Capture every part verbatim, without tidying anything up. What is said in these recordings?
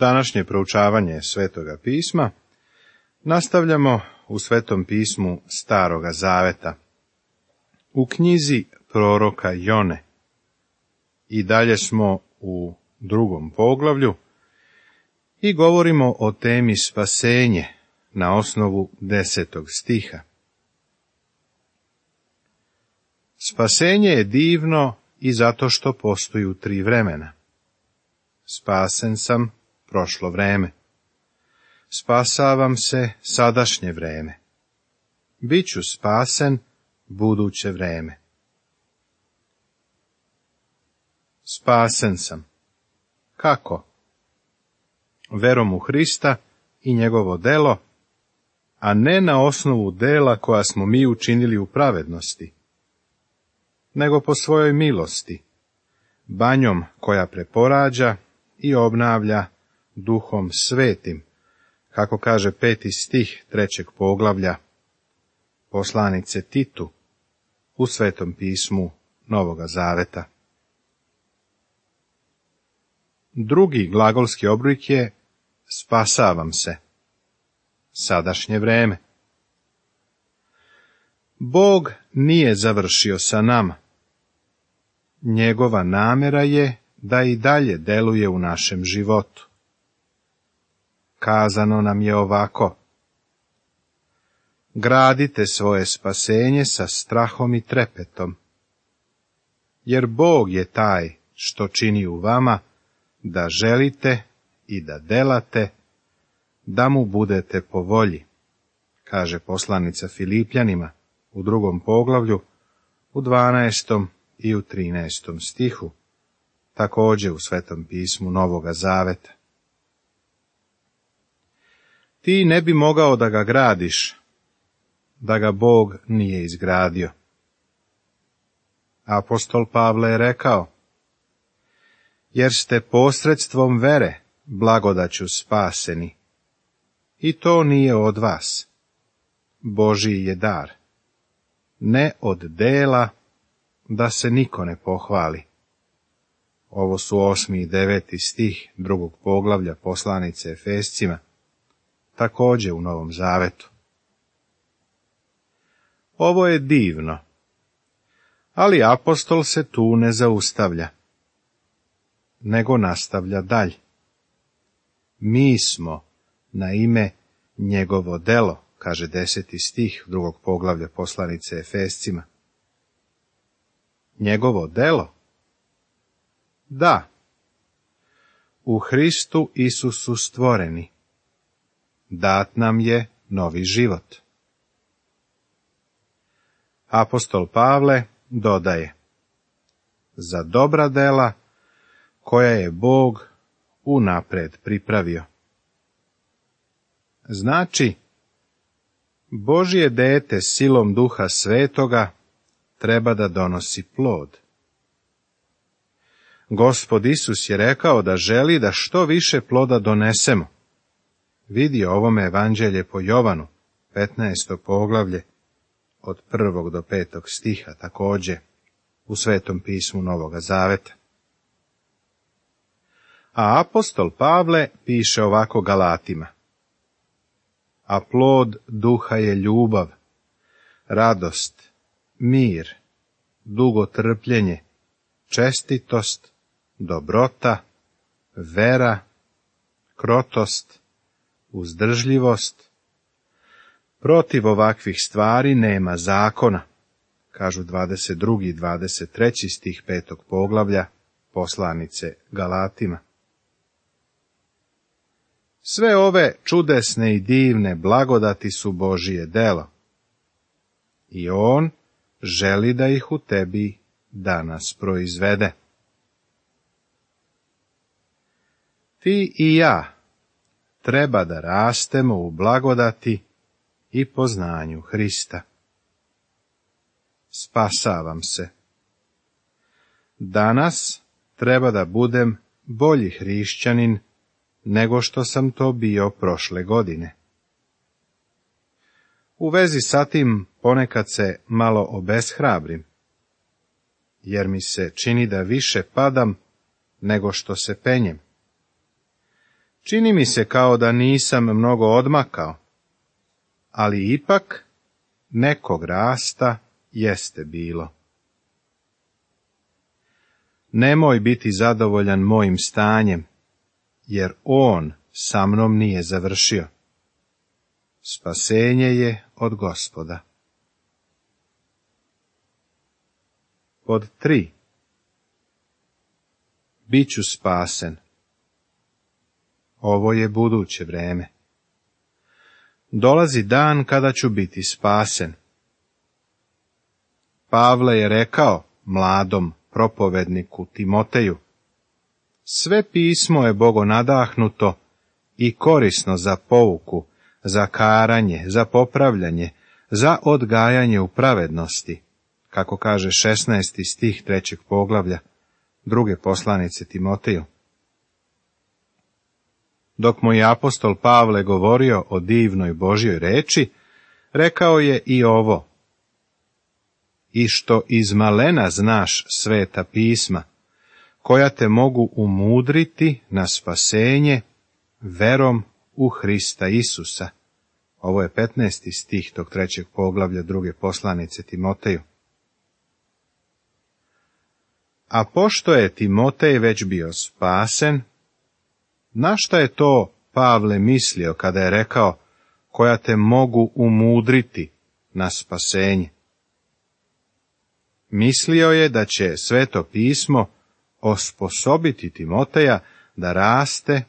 Današnje proučavanje Svetoga pisma nastavljamo u Svetom pismu Staroga zaveta, u knjizi proroka Jone. I dalje smo u drugom poglavlju i govorimo o temi spasenje na osnovu desetog stiha. Spasenje je divno i zato što postoji u tri vremena. Spasen sam prošlo vreme. Spasavam se sadašnje vreme. Biću spasen buduće vreme. Spasen sam. Kako? Verom u Hrista i njegovo delo, a ne na osnovu dela koja smo mi učinili u pravednosti, nego po svojoj milosti, banjom koja preporađa i obnavlja Duhom Svetim, kako kaže peti stih trećeg poglavlja poslanice Titu u Svetom pismu Novoga Zaveta. Drugi glagolski oblik je spasavam se, sadašnje vreme. Bog nije završio sa nama. Njegova namera je da i dalje deluje u našem životu. Kazano nam je ovako: gradite svoje spasenje sa strahom i trepetom, jer Bog je taj što čini u vama da želite i da delate, da mu budete po volji, kaže poslanica Filipljanima u drugom poglavlju, u dvanaestom i u trinaestom stihu, također u Svetom pismu Novoga Zaveta. Ti ne bi mogao da ga gradiš, da ga Bog nije izgradio. Apostol Pavle je rekao: jer ste posredstvom vere blagodaću spaseni, i to nije od vas, Božji je dar, ne od dela, da se niko ne pohvali. Ovo su osmi i deveti stih drugog poglavlja poslanice Efescima, također u Novom Zavetu. Ovo je divno, ali apostol se tu ne zaustavlja, nego nastavlja dalje. Mi smo na ime njegovo delo, kaže deseti stih drugog poglavlja poslanice Efescima. Njegovo delo? Da, u Hristu Isusu stvoreni. Dat nam je novi život. Apostol Pavle dodaje: za dobra dela koja je Bog unapred pripravio. Znači, Božje dete silom Duha Svetoga treba da donosi plod. Gospod Isus je rekao da želi da što više ploda donesemo. Vidi ovome evanđelje po Jovanu, petnaesto poglavlje, od prvog do petog stiha, također u Svetom pismu Novoga Zaveta. A apostol Pavle piše ovako Galatima: a plod duha je ljubav, radost, mir, dugotrpljenje, čestitost, dobrota, vera, krotost, uzdržljivost. Protiv ovakvih stvari nema zakona, kažu dvadeset drugi i dvadeset treći stih petog poglavlja poslanice Galatima. Sve ove čudesne i divne blagodati su Božije delo, i On želi da ih u tebi danas proizvede. Ti i ja treba da rastemo u blagodati i poznanju Hrista. Spasavam se. Danas treba da budem bolji hrišćanin nego što sam to bio prošle godine. U vezi sa tim ponekad se malo obeshrabrim, jer mi se čini da više padam nego što se penjem. Čini mi se kao da nisam mnogo odmakao, ali ipak nekog rasta jeste bilo. Nemoj biti zadovoljan mojim stanjem, jer on sa mnom nije završio. Spasenje je od Gospoda. Pod tri. Biću spasen. Ovo je buduće vreme. Dolazi dan kada ću biti spasen. Pavle je rekao mladom propovedniku Timoteju: sve pismo je bogonadahnuto i korisno za pouku, za karanje, za popravljanje, za odgajanje u pravednosti, kako kaže šesnaesti stih trećeg poglavlja druge poslanice Timoteju. Dok mu je apostol Pavle govorio o divnoj Božjoj reči, rekao je i ovo: i što iz malena znaš sveta pisma, koja te mogu umudriti na spasenje verom u Hrista Isusa. Ovo je petnaesti stih tog trećeg poglavlja druge poslanice Timoteju. A pošto je Timotej već bio spasen, na šta je to Pavle mislio kada je rekao koja te mogu umudriti na spasenje? Mislio je da će Sveto pismo osposobiti Timoteja da raste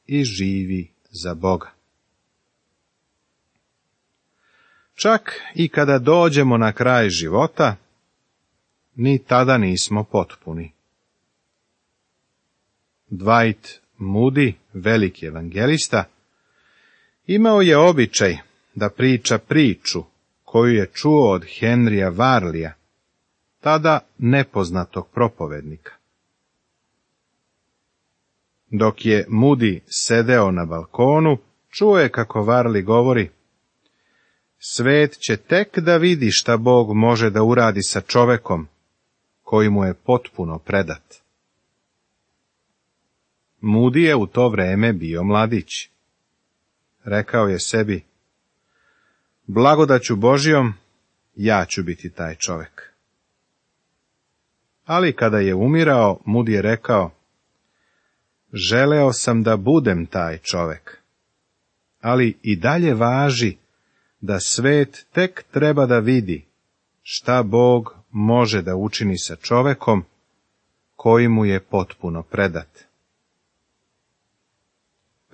i živi za Boga. Čak i kada dođemo na kraj života, ni tada nismo potpuni. Dwight Moody, veliki evangelista, imao je običaj da priča priču koju je čuo od Henrya Varleya, tada nepoznatog propovednika. Dok je Moody sedeo na balkonu, čuo je kako Varley govori: svet će tek da vidi šta Bog može da uradi sa čovekom koji mu je potpuno predat. Moody je u to vreme bio mladić. Rekao je sebi: blagodaću Božjom, ja ću biti taj čovek. Ali kada je umirao, Moody je rekao: želeo sam da budem taj čovek, ali i dalje važi da svet tek treba da vidi šta Bog može da učini sa čovekom koji mu je potpuno predat.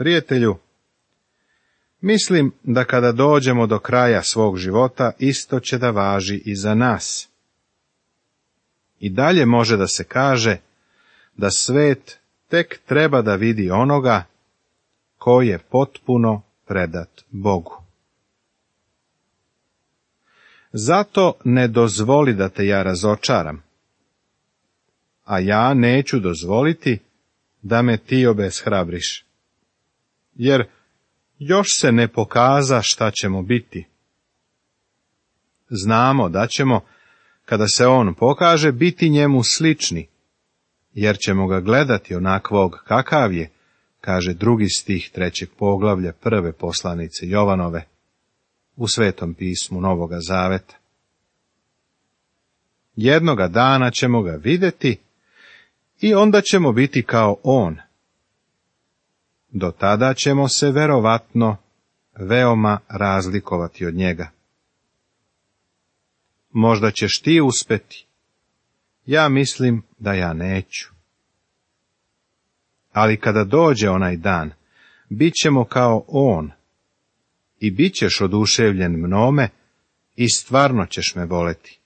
Prijatelju, mislim da kada dođemo do kraja svog života, isto će da važi i za nas. I dalje može da se kaže da svet tek treba da vidi onoga ko je potpuno predat Bogu. Zato ne dozvoli da te ja razočaram, a ja neću dozvoliti da me ti obeshrabriš, jer još se ne pokaza šta ćemo biti. Znamo da ćemo, kada se on pokaže, biti njemu slični, jer ćemo ga gledati onakvog kakav je, kaže drugi stih trećeg poglavlja prve poslanice Jovanove u Svetom pismu Novoga Zaveta. Jednoga dana ćemo ga vidjeti i onda ćemo biti kao on. Do tada ćemo se verovatno veoma razlikovati od njega. Možda ćeš ti uspeti, ja mislim da ja neću. Ali kada dođe onaj dan, bit ćemo kao on i bit ćeš oduševljen mnome i stvarno ćeš me voleti.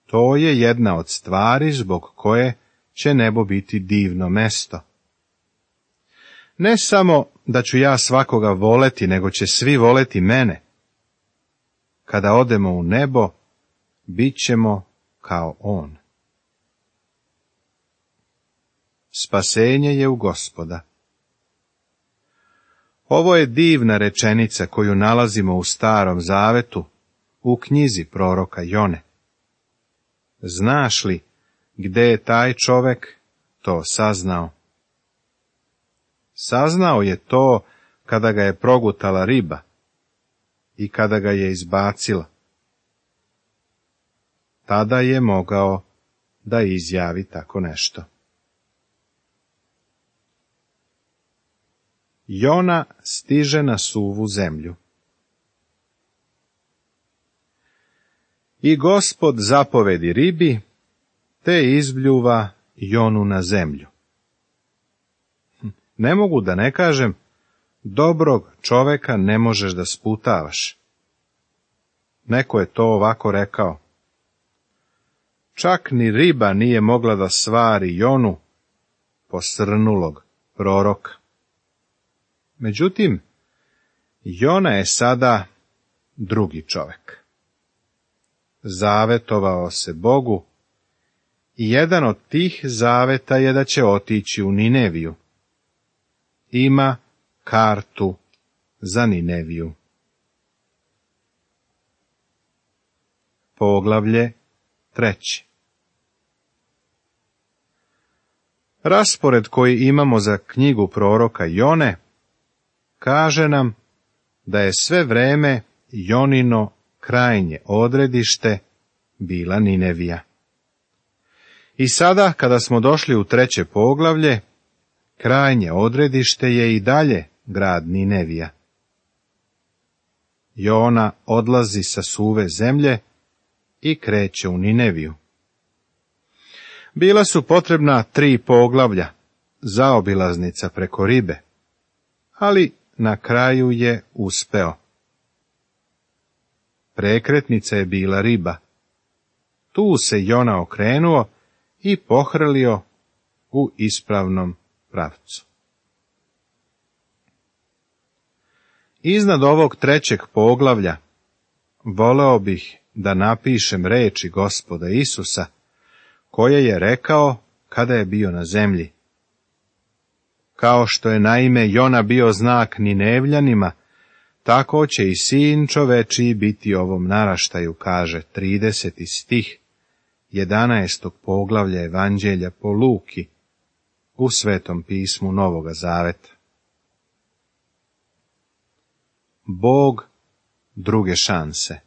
To je jedna od stvari zbog koje će nebo biti divno mesto. Ne samo da ću ja svakoga voleti, nego će svi voleti mene. Kada odemo u nebo, bit ćemo kao on. Spasenje je u Gospoda. Ovo je divna rečenica koju nalazimo u Starom Zavetu, u knjizi proroka Jone. Znaš li gde je taj čovek to saznao? Saznao je to kada ga je progutala riba i kada ga je izbacila. Tada je mogao da izjavi tako nešto. Jona stiže na suvu zemlju. I Gospod zapovedi ribi, te izbljuva Jonu na zemlju. Ne mogu da ne kažem, dobrog čoveka ne možeš da sputavaš. Neko je to ovako rekao. Čak ni riba nije mogla da svari Jonu, posrnulog proroka. Međutim, Jona je sada drugi čovek. Zavetovao se Bogu i jedan od tih zaveta je da će otići u Nineviju. Ima kartu za Nineviju. Poglavlje treće. Raspored koji imamo za knjigu proroka Jone kaže nam da je sve vreme Jonino krajnje odredište bila Ninevija. I sada, kada smo došli u treće poglavlje, krajnje odredište je i dalje grad Ninevija. Jona odlazi sa suve zemlje i kreće u Nineviju. Bila su potrebna tri poglavlja, zaobilaznica preko ribe, ali na kraju je uspeo. Prekretnica je bila riba. Tu se Jona okrenuo i pohrlio u ispravnom pravcu. Iznad ovog trećeg poglavlja voleo bih da napišem reči Gospoda Isusa, koje je rekao kada je bio na zemlji. Kao što je naime Jona bio znak Ninevljanima, tako će i sin čovečiji biti ovom naraštaju, kaže trideseti stih jedanaestog poglavlja Evanđelja po Luki u Svetom pismu Novoga Zaveta. Bog druge šanse.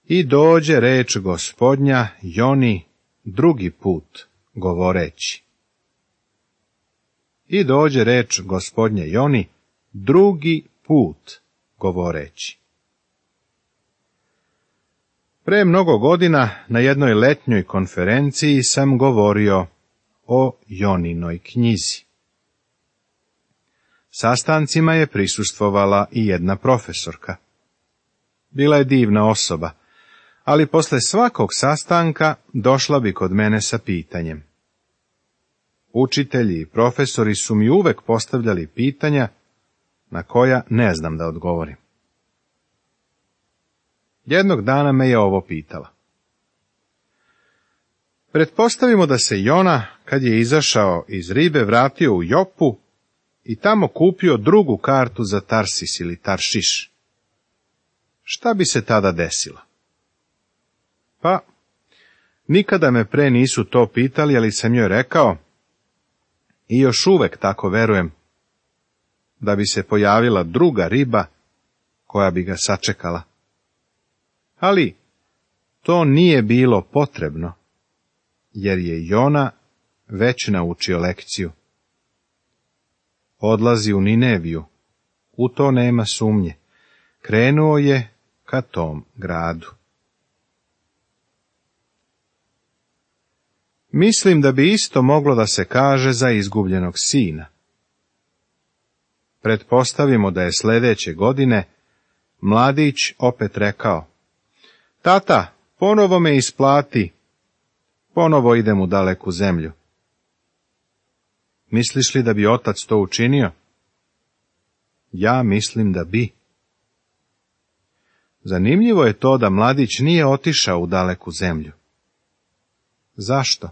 I dođe reč Gospodnja Joni drugi put, govoreći. I dođe reč Gospodnja Joni drugi put, govoreći. Pre mnogo godina na jednoj letnjoj konferenciji sam govorio o Joninoj knjizi. Sastancima je prisustvovala i jedna profesorka. Bila je divna osoba, ali posle svakog sastanka došla bi kod mene sa pitanjem. Učitelji i profesori su mi uvek postavljali pitanja na koja ne znam da odgovorim. Jednog dana me je ovo pitala. Pretpostavimo da se Jona, kad je izašao iz ribe, vratio u Jopu i tamo kupio drugu kartu za Tarsis ili Taršiš. Šta bi se tada desilo? Pa, nikada me pre nisu to pitali, ali sam joj rekao, i još uvek tako verujem, da bi se pojavila druga riba koja bi ga sačekala. Ali to nije bilo potrebno, jer je Jona već naučio lekciju. Odlazi u Nineviju, u to nema sumnje, krenuo je ka tom gradu. Mislim da bi isto moglo da se kaže za izgubljenog sina. Pretpostavimo da je sledeće godine mladić opet rekao, tata, ponovo me isplati, ponovo idem u daleku zemlju. Misliš li da bi otac to učinio? Ja mislim da bi. Zanimljivo je to da mladić nije otišao u daleku zemlju. Zašto?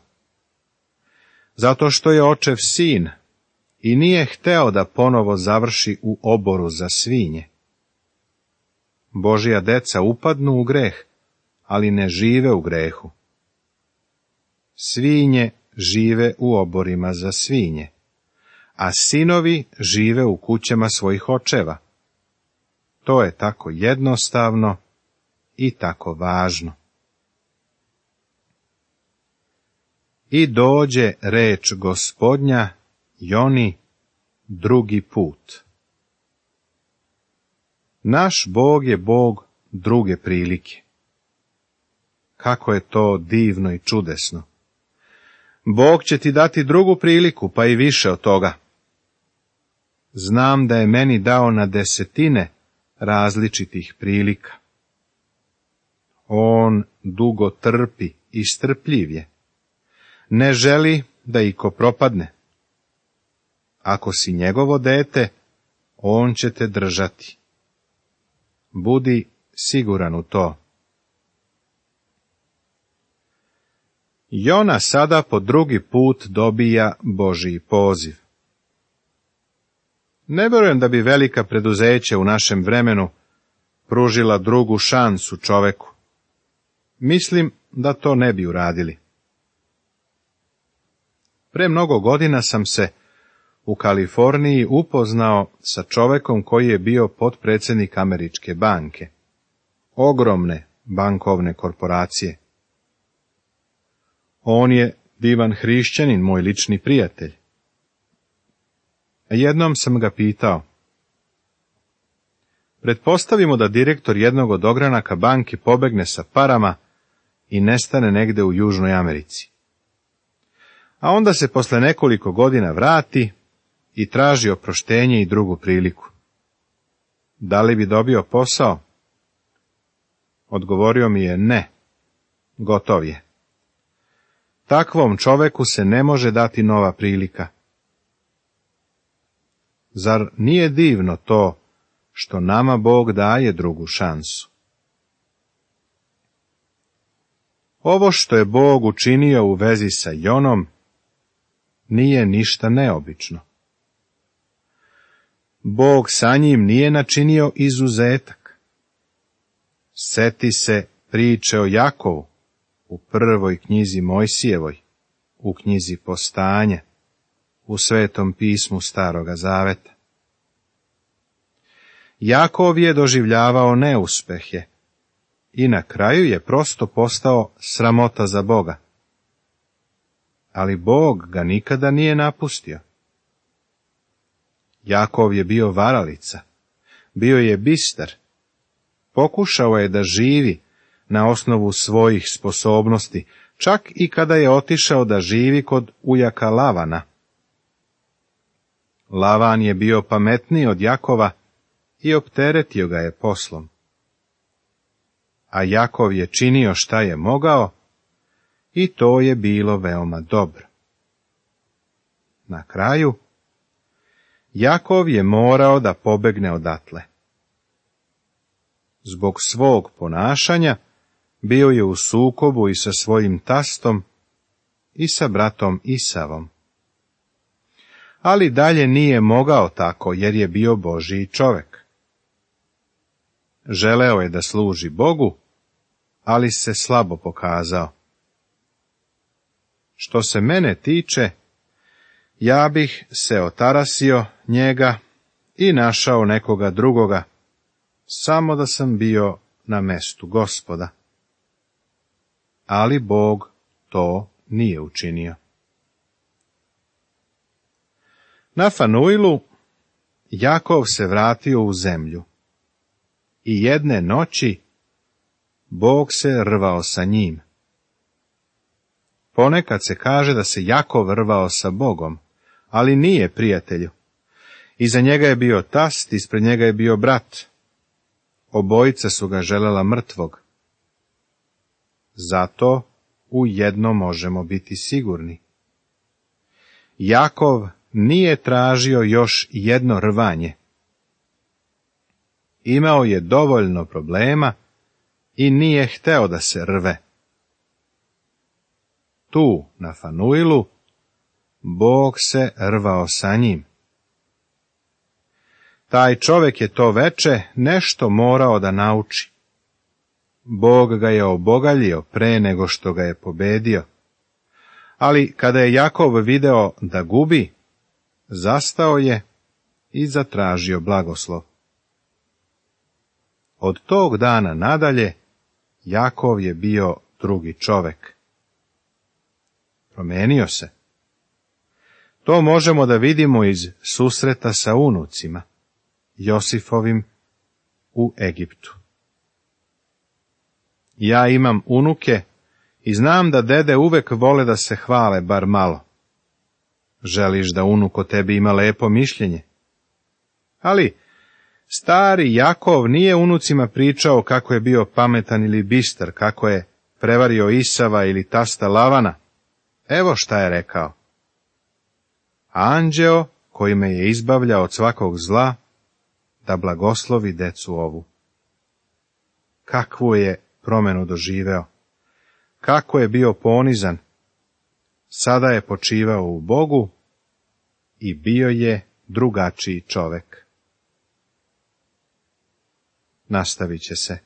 Zato što je očev sin i nije hteo da ponovo završi u oboru za svinje. Božja deca upadnu u greh, ali ne žive u grehu. Svinje žive u oborima za svinje, a sinovi žive u kućama svojih očeva. To je tako jednostavno i tako važno. I dođe reč Gospodnja Joni drugi put. Naš Bog je Bog druge prilike. Kako je to divno i čudesno. Bog će ti dati drugu priliku, pa i više od toga. Znam da je meni dao na desetine različitih prilika. On dugo trpi i strpljiv je. Ne želi da iko propadne. Ako si njegovo dete, on će te držati. Budi siguran u to. Jona sada po drugi put dobija Božji poziv. Ne vjerujem da bi velika preduzeća u našem vremenu pružila drugu šansu čoveku. Mislim da to ne bi uradili. Pre mnogo godina sam se u Kaliforniji upoznao sa čovekom koji je bio potpredsjednik Američke banke, ogromne bankovne korporacije. On je divan hrišćanin, moj lični prijatelj. Jednom sam ga pitao, pretpostavimo da direktor jednog od ogranaka banke pobegne sa parama i nestane negde u Južnoj Americi. A onda se posle nekoliko godina vrati i traži oproštenje i drugu priliku. Da li bi dobio posao? Odgovorio mi je ne, gotov je. Takvom čoveku se ne može dati nova prilika. Zar nije divno to što nama Bog daje drugu šansu? Ovo što je Bog učinio u vezi sa Jonom nije ništa neobično. Bog sa njim nije načinio izuzetak. Seti se priče o Jakovu u prvoj knjizi Mojsijevoj, u knjizi Postanja, u Svetom pismu Staroga Zaveta. Jakov je doživljavao neuspehe i na kraju je prosto postao sramota za Boga. Ali Bog ga nikada nije napustio. Jakov je bio varalica, bio je bistar, pokušao je da živi na osnovu svojih sposobnosti, čak i kada je otišao da živi kod ujaka Lavana. Lavan je bio pametniji od Jakova i opteretio ga je poslom. A Jakov je činio šta je mogao i to je bilo veoma dobro. Na kraju, Jakov je morao da pobegne odatle. Zbog svog ponašanja bio je u sukobu i sa svojim tastom i sa bratom Isavom. Ali dalje nije mogao tako, jer je bio Božji čovek. Želeo je da služi Bogu, ali se slabo pokazao. Što se mene tiče, ja bih se otarasio njega i našao nekoga drugoga, samo da sam bio na mestu Gospoda. Ali Bog to nije učinio. Na Fanuilu Jakov se vratio u zemlju i jedne noći Bog se rvao sa njim. Ponekad se kaže da se Jakov rvao sa Bogom, ali nije, prijatelju. Iza njega je bio tast, ispred njega je bio brat. Obojica su ga želela mrtvog. Zato u jedno možemo biti sigurni. Jakov nije tražio još jedno rvanje. Imao je dovoljno problema i nije hteo da se rve. Tu, na Fanuilu, Bog se rvao sa njim. Taj čovjek je to veče nešto morao da nauči. Bog ga je obogaljio pre nego što ga je pobedio. Ali kada je Jakov video da gubi, zastao je i zatražio blagoslov. Od tog dana nadalje, Jakov je bio drugi čovek. Promenio se. To možemo da vidimo iz susreta sa unucima, Josifovim u Egiptu. Ja imam unuke i znam da dede uvek vole da se hvale bar malo. Želiš da unuk o tebi ima lepo mišljenje. Ali stari Jakov nije unucima pričao kako je bio pametan ili bistar, kako je prevario Isava ili tasta Lavana. Evo šta je rekao. Anđeo koji me je izbavljao od svakog zla, da blagoslovi decu ovu. Kakvu je promenu doživeo, kako je bio ponizan, sada je počivao u Bogu i bio je drugačiji čovek. Nastavit će se